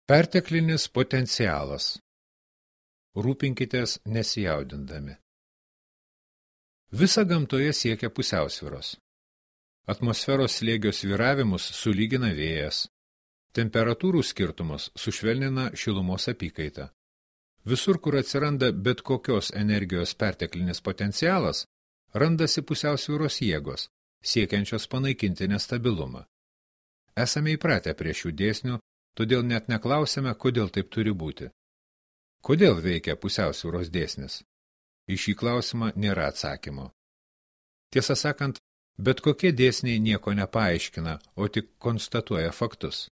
Perteklinis potencialas. Rūpinkitės nesijaudindami. Visa gamtoje siekia pusiausvyros. Atmosferos slėgio svyravimus sulygina vėjas. Temperatūrų skirtumus sušvelnina šilumos apykaita. Visur, kur atsiranda bet kokios energijos perteklinis potencialas, randasi pusiausvyros jėgos, siekiančios panaikinti nestabilumą. Esame įpratę prie šių dėsnių, todėl net neklausime, kodėl taip turi būti. Kodėl veikia pusiausvyros dėsnis? Į šį klausimą nėra atsakymo. Tiesą sakant, bet kokie dėsniai nieko nepaaiškina, o tik konstatuoja faktus.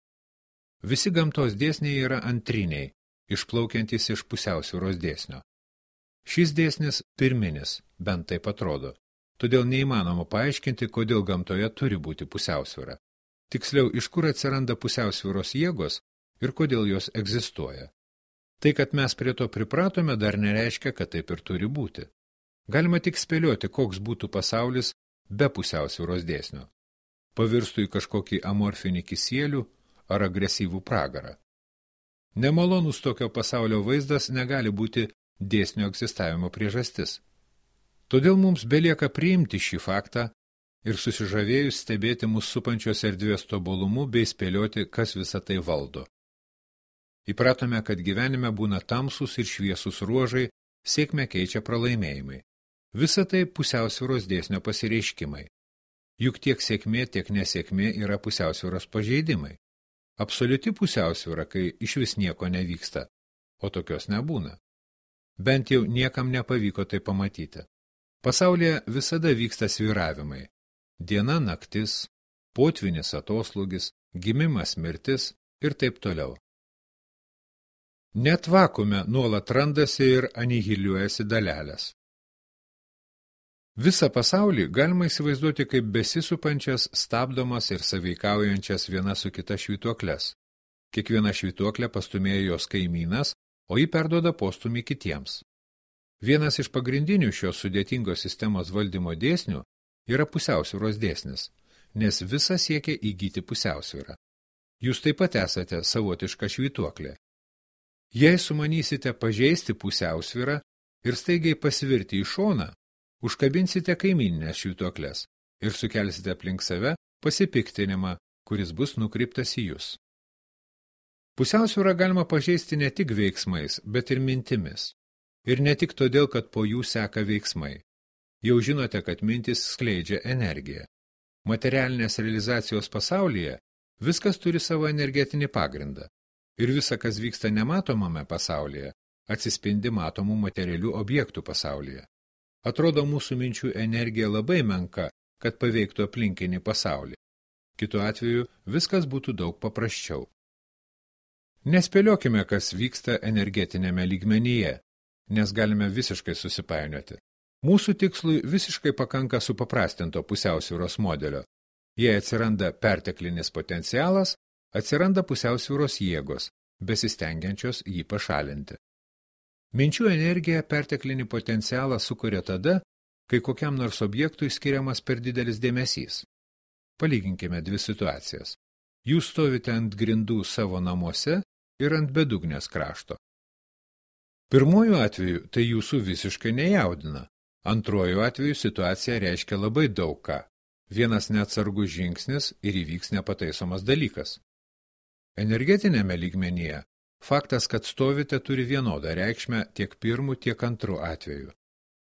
Visi gamtos dėsniai yra antriniai, išplaukiantys iš pusiausvyros dėsnio. Šis dėsnis pirminis, bent taip atrodo, todėl neįmanoma paaiškinti, kodėl gamtoje turi būti pusiausvyra. Tiksliau, iš kur atsiranda pusiausvyros jėgos ir kodėl jos egzistuoja. Tai, kad mes prie to pripratome, dar nereiškia, kad taip ir turi būti. Galima tik spėlioti, koks būtų pasaulis be pusiausvyros dėsnio. Pavirstų į kažkokį amorfinį kisielių ar agresyvų pragarą. Nemalonus tokio pasaulio vaizdas negali būti dėsnio egzistavimo priežastis. Todėl mums belieka priimti šį faktą ir susižavėjus stebėti mus supančios erdvės tobulumu bei spėlioti, kas visą tai valdo. Įpratome, kad gyvenime būna tamsus ir šviesus ruožai, sėkmę keičia pralaimėjimai. Visa tai pusiausvyros dėsnio pasireiškimai. Juk tiek sėkmė, tiek nesėkmė yra pusiausvyros pažeidimai. Absoliuti pusiausvyra, kai išvis nieko nevyksta, o tokios nebūna. Bent jau niekam nepavyko tai pamatyti. Pasaulyje visada vyksta svyravimai. Diena, naktis, potvynis, atoslūgis, gimimas, mirtis ir taip toliau. Net vakume nuolat randasi ir anihiliuojasi dalelės. Visą pasaulį galima įsivaizduoti kaip besisupančias, stabdomas ir sąveikaujančias viena su kita švytuokles. Kiekviena švytuoklė pastumėja jos kaimynas, o ji perduoda postumį kitiems. Vienas iš pagrindinių šios sudėtingos sistemos valdymo dėsnių yra pusiausvyros dėsnis, nes visa siekia įgyti pusiausvyrą. Jūs taip pat esate savotiška švytuoklė. Jei sumanysite pažeisti pusiausvyrą ir staigiai pasvirti į šoną, užkabinsite kaimyninės švytuokles ir sukelsite aplink save pasipiktinimą, kuris bus nukreiptas į jūs. Pusiausvyrą galima pažeisti ne tik veiksmais, bet ir mintimis. Ir ne tik todėl, kad po jų seka veiksmai. Jau žinote, kad mintis skleidžia energiją. Materialinės realizacijos pasaulyje viskas turi savo energetinį pagrindą. Ir visa, kas vyksta nematomame pasaulyje, atsispindi matomų materialių objektų pasaulyje. Atrodo, mūsų minčių energija labai menka, kad paveiktų aplinkinį pasaulį. Kitu atveju viskas būtų daug paprasčiau. Nespėliokime, kas vyksta energetinėme lygmenyje, nes galime visiškai susipainioti. Mūsų tikslui visiškai pakanka supaprastinto pusiausvyros modelio. Jei atsiranda perteklinis potencialas, atsiranda pusiausvyros jėgos, besistengiančios jį pašalinti. Minčių energija perteklinį potencialą sukuria tada, kai kokiam nors objektui skiriamas per didelis dėmesys. Palyginkime dvi situacijas. Jūs stovite ant grindų savo namuose ir ant bedugnės krašto. Pirmuoju atveju tai jūsų visiškai nejaudina. Antruoju atveju situacija reiškia labai daug ką. Vienas neatsargus žingsnis ir įvyks nepataisomas dalykas. Energetinėme lygmenyje faktas, kad stovite, turi vienodą reikšmę tiek pirmu, tiek antru atveju.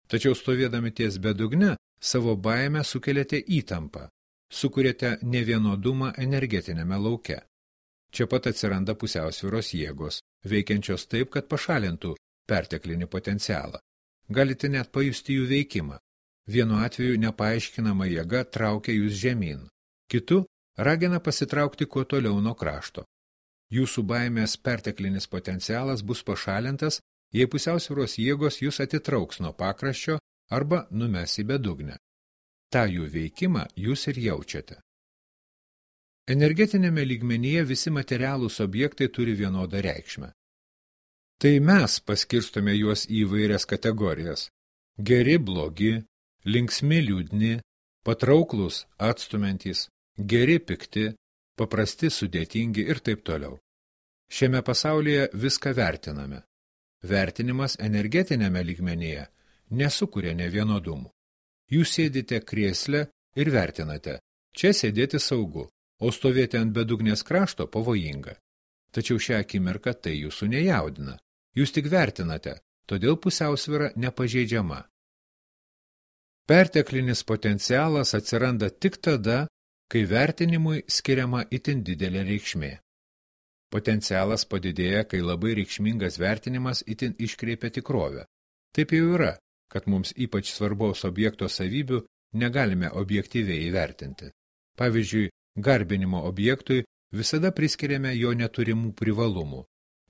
Tačiau stovėdami ties bedugne, savo baimę sukeliate įtampą, sukuriate nevienodumą energetinėme lauke. Čia pat atsiranda pusiausvyros jėgos, veikiančios taip, kad pašalintų perteklinį potencialą. Galite net pajusti jų veikimą. Vienu atveju nepaaiškinama jėga traukia jūs žemyn, kitu ragina pasitraukti kuo toliau nuo krašto. Jūsų baimės perteklinis potencialas bus pašalintas, jei pusiausvyros jėgos jūs atitrauks nuo pakraščio arba numes į bedugnę. Ta jų veikimą jūs ir jaučiate. Energetinėme lygmenyje visi materialūs objektai turi vienodą reikšmę. Tai mes paskirstome juos į įvairias kategorijas. Geri, blogi, linksmi, liūdni, patrauklūs, atstumiantys, geri, pikti, paprasti, sudėtingi ir taip toliau. Šiame pasaulyje viską vertiname. Vertinimas energetinėme lygmenyje nesukuria nevienodumų. Jūs sėdite krėsle ir vertinate. Čia sėdėti saugu, o stovėti ant bedugnės krašto pavojinga. Tačiau šią akimirką tai jūsų nejaudina. Jūs tik vertinate, todėl pusiausvyra nepažeidžiama. Perteklinis potencialas atsiranda tik tada, kai vertinimui skiriama itin didelė reikšmė. Potencialas padidėja, kai labai reikšmingas vertinimas itin iškreipia tikrovę. Taip jau yra, kad mums ypač svarbaus objekto savybių negalime objektyviai įvertinti. Pavyzdžiui, garbinimo objektui visada priskiriame jo neturimų privalumų,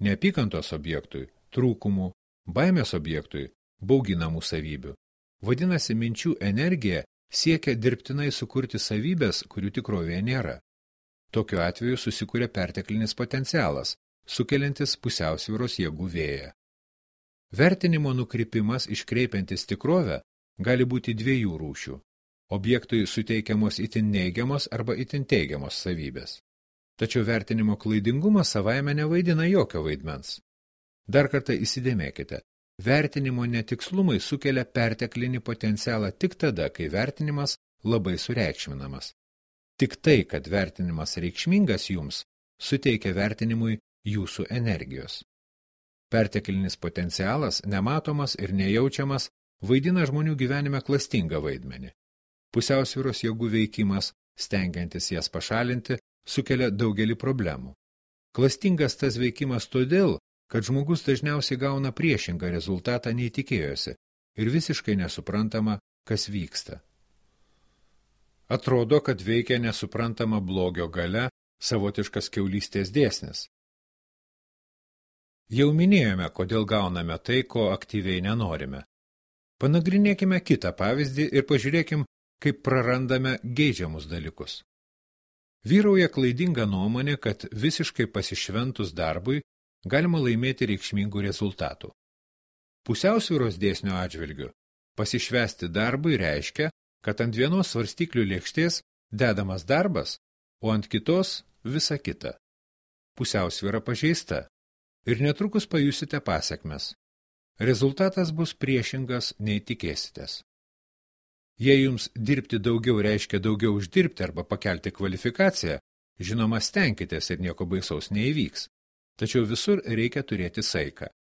neapykantos objektui – trūkumų, baimės objektui – bauginamų savybių. Vadinasi, minčių energija siekia dirbtinai sukurti savybės, kurių tikrovėje nėra. Tokiu atveju susikuria perteklinis potencialas, sukeliantis pusiausvyros jėgų vėją. Vertinimo nukrypimas iškreipiantis tikrovę gali būti dviejų rūšių. Objektui suteikiamos itin neigiamos arba itin teigiamos savybės. Tačiau vertinimo klaidingumas savaime nevaidina jokio vaidmens. Dar kartą įsidėmėkite, vertinimo netikslumai sukelia perteklinį potencialą tik tada, kai vertinimas labai sureikšminamas. Tik tai, kad vertinimas reikšmingas jums, suteikia vertinimui jūsų energijos. Perteklinis potencialas, nematomas ir nejaučiamas, vaidina žmonių gyvenime klastingą vaidmenį. Pusiausvyros jėgų veikimas, stengiantis jas pašalinti, sukelia daugelį problemų. Klastingas tas veikimas todėl, kad žmogus dažniausiai gauna priešingą rezultatą nei tikėjosi ir visiškai nesuprantama, kas vyksta. Atrodo, kad veikia nesuprantama blogio galia, savotiškas kiaulystės dėsnis. Jau minėjome, kodėl gauname tai, ko aktyviai nenorime. Panagrinėkime kitą pavyzdį ir pažiūrėkim, kaip prarandame geidžiamus dalykus. Vyrauja klaidinga nuomonė, kad visiškai pasišventus darbui galima laimėti reikšmingų rezultatų. Pusiausvyros dėsnio atžvilgiu pasišvęsti darbui reiškia, kad ant vienos svarstyklių lėkštės dedamas darbas, o ant kitos visa kita. Pusiausvyra pažeista ir netrukus pajusite pasekmes. Rezultatas bus priešingas nei tikėsitės. Jei jums dirbti daugiau reiškia daugiau uždirbti arba pakelti kvalifikaciją, žinoma, stenkitės ir nieko baisaus neįvyks. Tačiau visur reikia turėti saiką.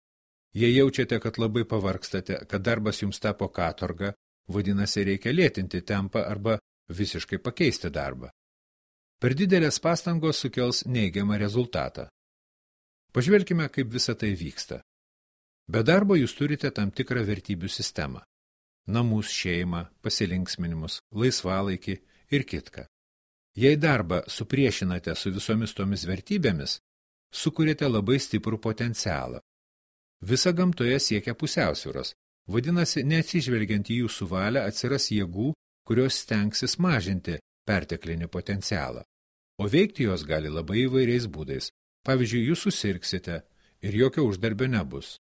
Jei jaučiate, kad labai pavargstate, kad darbas jums tapo katorga, vadinasi, reikia lėtinti tempą arba visiškai pakeisti darbą. Per didelės pastangos sukels neigiamą rezultatą. Pažvelkime, kaip visa tai vyksta. Be darbo jūs turite tam tikrą vertybių sistemą. Namus, šeimą, pasilinksminimus, laisvalaikį ir kitką. Jei darbą supriešinate su visomis tomis vertybėmis, sukuriate labai stiprų potencialą. Visa gamtoje siekia pusiausvyros, vadinasi, neatsižvelgiant į jūsų valią atsiras jėgų, kurios stengsis mažinti perteklinį potencialą. O veikti jos gali labai įvairiais būdais. Pavyzdžiui, jūs susirgsite ir jokio uždarbio nebus.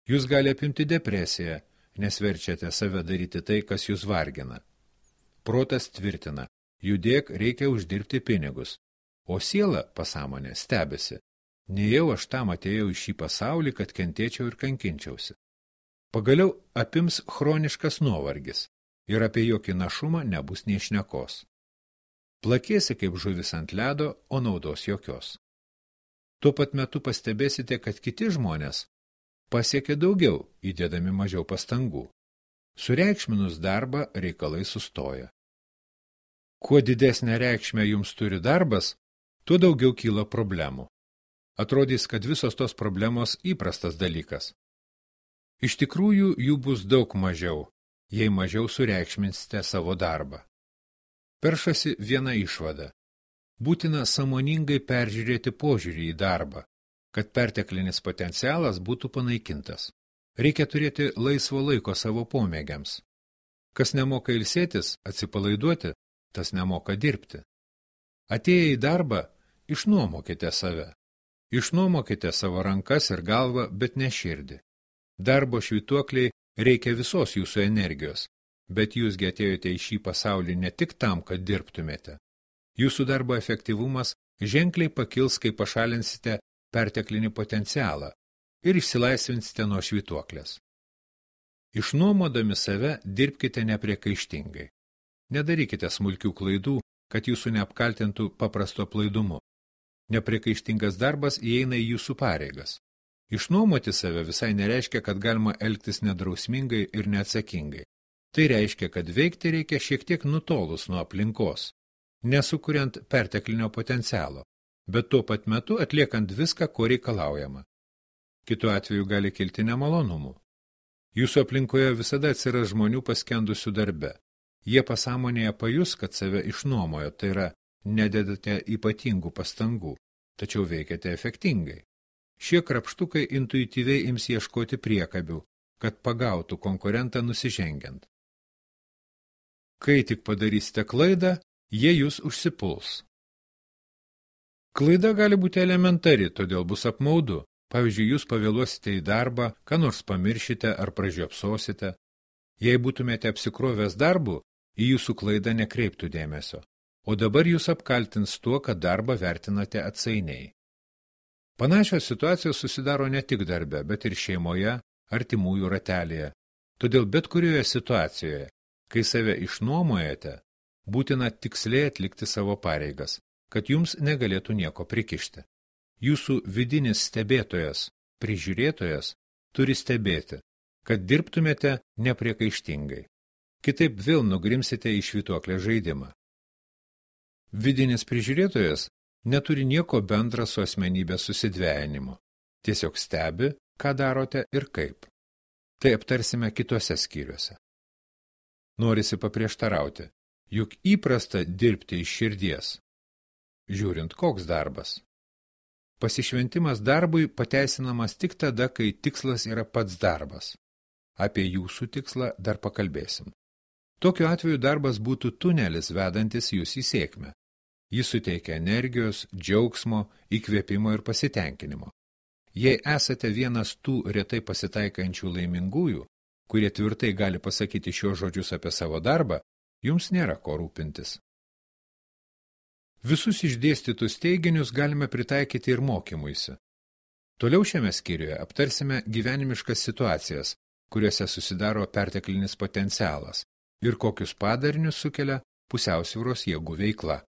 Jūs gali apimti depresiją, nes verčiate save daryti tai, kas jūs vargina. Protas tvirtina, judėk, reikia uždirbti pinigus, o siela, pasąmonė, stebisi. Nejau aš tam atėjau į šį pasaulį, kad kentėčiau ir kankinčiausi. Pagaliau apims chroniškas nuovargis ir apie jokį našumą nebus nei šnekos. Plakėsi kaip žuvis ant ledo, o naudos jokios. Tuo pat metu pastebėsite, kad kiti žmonės pasiekia daugiau, įdėdami mažiau pastangų. Sureikšminus darbą reikalai sustoja. Kuo didesnę reikšmę jums turi darbas, tuo daugiau kyla problemų. Atrodys, kad visos tos problemos įprastas dalykas. Iš tikrųjų, jų bus daug mažiau, jei mažiau sureikšminsite savo darbą. Peršasi viena išvada. Būtina sąmoningai peržiūrėti požiūrį į darbą, kad perteklinis potencialas būtų panaikintas. Reikia turėti laisvo laiko savo pomėgiams. Kas nemoka ilsėtis, atsipalaiduoti, tas nemoka dirbti. Atėję į darbą, išnuomokite save. Išnuomokite savo rankas ir galvą, bet ne širdį. Darbo švytuokliai reikia visos jūsų energijos, bet jūsgi atėjote į šį pasaulį ne tik tam, kad dirbtumėte. Jūsų darbo efektyvumas ženkliai pakils, kai pašalinsite perteklinį potencialą ir išsilaisvinsite nuo švytuoklės. Išnuomodami save dirbkite nepriekaištingai. Nedarykite smulkių klaidų, kad jūsų neapkaltintų paprasto aplaidumu. Nepriekaištingas darbas įeina į jūsų pareigas. Išnuomoti save visai nereiškia, kad galima elgtis nedrausmingai ir neatsakingai. Tai reiškia, kad veikti reikia šiek tiek nutolus nuo aplinkos, nesukuriant perteklinio potencialo, bet tuo pat metu atliekant viską, ko reikalaujama. Kitu atveju gali kilti nemalonumų. Jūsų aplinkoje visada atsiras žmonių paskendusių darbe. Jie pasąmonėje pajus, kad save išnuomojo, tai yra, nededate ypatingų pastangų, tačiau veikiate efektingai. Šie krapštukai intuityviai ims ieškoti priekabių, kad pagautų konkurentą nusižengiant. Kai tik padarysite klaidą, jie jūs užsipuls. Klaida gali būti elementari, todėl bus apmaudu. Pavyzdžiui, jūs pavėluosite į darbą, ką nors pamiršite ar pražiopsosite. Jei būtumėte apsikrovęs darbu, į jūsų klaidą nekreiptų dėmesio, o dabar jūs apkaltins tuo, kad darbą vertinate atsainiai. Panašios situacijos susidaro ne tik darbe, bet ir šeimoje, artimųjų ratelėje. Todėl bet kurioje situacijoje, kai save išnuomojate, būtina tiksliai atlikti savo pareigas, kad jums negalėtų nieko prikišti. Jūsų vidinis stebėtojas, prižiūrėtojas, turi stebėti, kad dirbtumėte nepriekaištingai. Kitaip vėl nugrimsite į švytuoklę žaidimą. Vidinis prižiūrėtojas neturi nieko bendra su asmenybės susidvejinimu. Tiesiog stebi, ką darote ir kaip. Tai aptarsime kituose skyriuose. Norisi paprieštarauti, juk įprasta dirbti iš širdies. Žiūrint, koks darbas. Pasišventimas darbui pateisinamas tik tada, kai tikslas yra pats darbas. Apie jūsų tikslą dar pakalbėsim. Tokiu atveju darbas būtų tunelis vedantis jūs į sėkmę. Jis suteikia energijos, džiaugsmo, įkvėpimo ir pasitenkinimo. Jei esate vienas tų retai pasitaikančių laimingųjų, kurie tvirtai gali pasakyti šios žodžius apie savo darbą, jums nėra ko rūpintis. Visus išdėstytus teiginius galime pritaikyti ir mokymuisi. Toliau šiame skyriuje aptarsime gyvenimiškas situacijas, kuriuose susidaro perteklinis potencialas ir kokius padarinius sukelia pusiausvyros jėgų veikla.